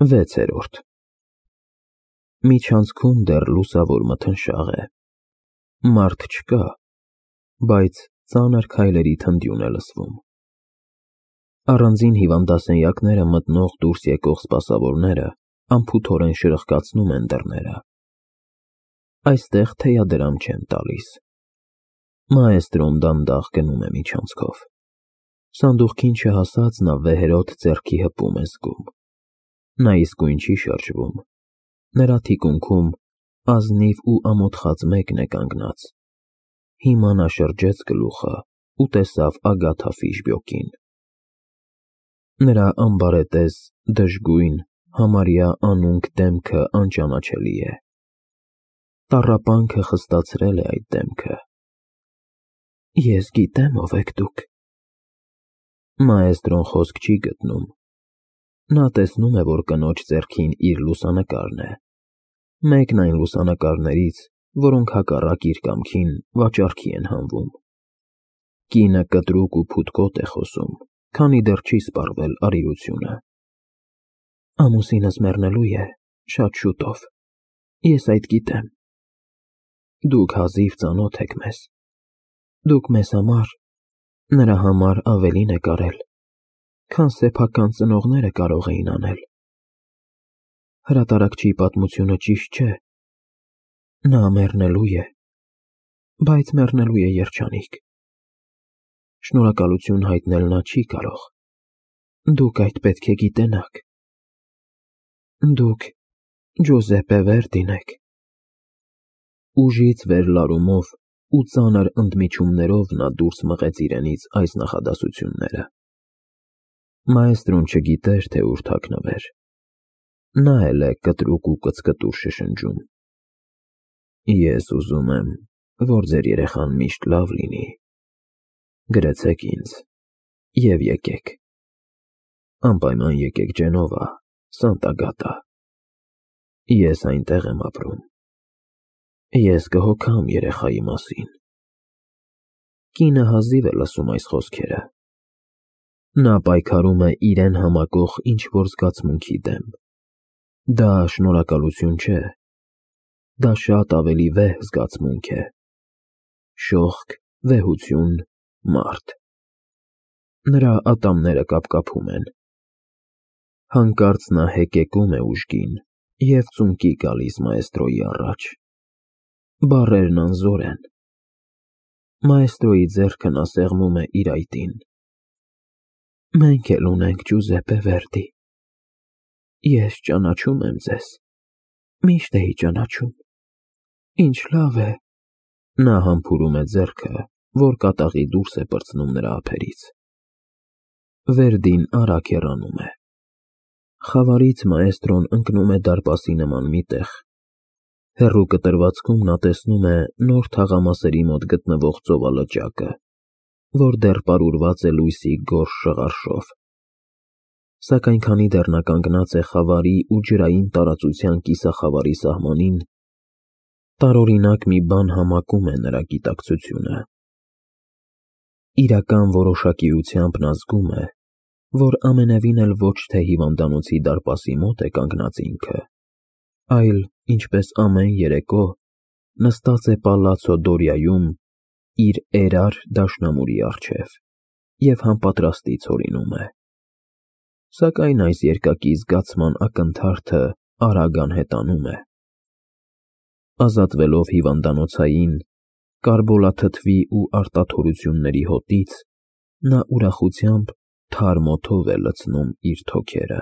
6-րդ Միջանցքում դեռ լուսավոր մթնշաղ է, մարդ չկա, բայց ծանր քայլերի թնդյուն է լսվում։ Առանձին հիվանդասենյակները մտնող դուրս եկող սպասավորները անփութորեն շրխկացնում են դռները։ Այստեղ թեյադրամ չեն տալիս։ Մաեստրոն դանդաղ գնում է միջանցքով։ Սանդուղքին չհասած նա վեհերոտ ձեռքի հպում է զգում։ Նա իսկույն չի շրջվում։ Նրա թիկունքում ազնիվ ու ամոթխած մեկն է կանգնած։ Հիմա նա շրջեց գլուխը ու տեսավ Ագաթա Ֆիշբյոկին։ Նրա ամբարետես, դժգույն, համարյա անունք դեմքը անճանաչելի է։ Տառապանքը խստացրել է այդ դեմքը։ Ես գիտեմ ով եք դուք։ Մաեստրոն խոսք չի գտնում։ Նա տեսնում է, որ կնոջ ձեռքին իր լուսանկարն է։ Մեկն այն լուսանկարներից, որոնք հակառակ իր կամքին վաճառքի են հանվում։ Կինը կտրուկ ու փութկոտ է խոսում, քանի դեռ չի սպառվել արիությունը։ Ամուսինս մեռնելու է շատ շուտով։ Ես այդ գիտեմ։ Դուք հազիվ ծանոթ եք մեզ։ Դուք մեզ համար, նրա համար ավելին եք արել, քան սեփական ծնողները կարող էին անել։ Հրատարակչի պատմությունը ճիշտ չէ։ Նա մեռնելու է, բայց մեռնելու է երջանիկ։ Շնորհակալություն հայտնել նա չի կարող։ Դուք այդ պետք է գիտենաք։ Դուք Ջոզեպպե Վերդին եք։ Ուժից վերլարումով ու ծանր ընդմիջումներով նա դուրս մղեց իրենից այս նախադասությունները։ Մաեստրոն չգիտեր, թե ուր թաքնվեր։ Նա էլ է կտրուկ ու կծկտուր շշնջում։ Ես ուզում եմ, որ ձեր երեխան միշտ լավ լինի։ Գրեցեք ինձ և եկեք։ Անպայման եկեք Ջենովա, Սանտագատա։ Ես այնտեղ եմ ապրում։ Ես կհոգամ երեխայի մասին։ Կինը հազիվ է լսում այս խոսքերը։ Նա պայքարում է իրեն համակող ինչ-որ զգացմունքի դեմ։ Դա շնորհակալություն չէ։ Դա շատ ավելի վեհ զգացմունք է։ Շողք, վեհություն, մարդ։ Նրա ատամները կապկապում են։ Հանկարծ նա հեկեկում է ուժգին և ծունկի գալիս մաեստրոյի առաջ։ Բառերն անզոր են։ Մաեստրոյի ձեռքը նա սեղմում է իր այտին։ Մենք էլ ունենք Ջուզեպպե Վերդի։ Ես ճանաչում եմ ձեզ։ Միշտ էի ճանաչում։ Ինչ լավ է։ Նա համբուրում է ձեռքը, որ կատաղի դուրս է պրծնում նրա ափերից։ Վերդին արագ հեռանում է։ Խավարից մաեստրոն ընկնում է դարպասի նման մի տեղ։ Հեռու կտրվածքում նա տեսնում է նոր թաղամասերի մոտ գտնվող ծովալճակը, որ դեռ պարուրված է լույսի գորշ շղարշով։ Սակայն քանի դեռ նա կանգնած է խավարի ու ջրային տարածության կիսախավարի սահմանին, տարօրինակ մի բան համակում է նրա գիտակցությունը։ Իրական որոշակիությամբ նա զգում է, որ ամենևին էլ ոչ թե հիվանդանոցի դարպասի մոտ է կանգնած ինքը, այլ, ինչպես ամեն երեկո, նստած է Պալացցո Դորիայում իր էրար դաշնամուրի առջև և համապատրաստի ցորինում է։ Սակայն այս երկակի զգացման ակնթարթը արագ անհետանում է։ Ազատվելով հիվանդանոցային, կարբոլաթթվի ու արտաթորությունների հոտից, նա ուրախությամբ թարմ օդով է լցնում իր թոքերը։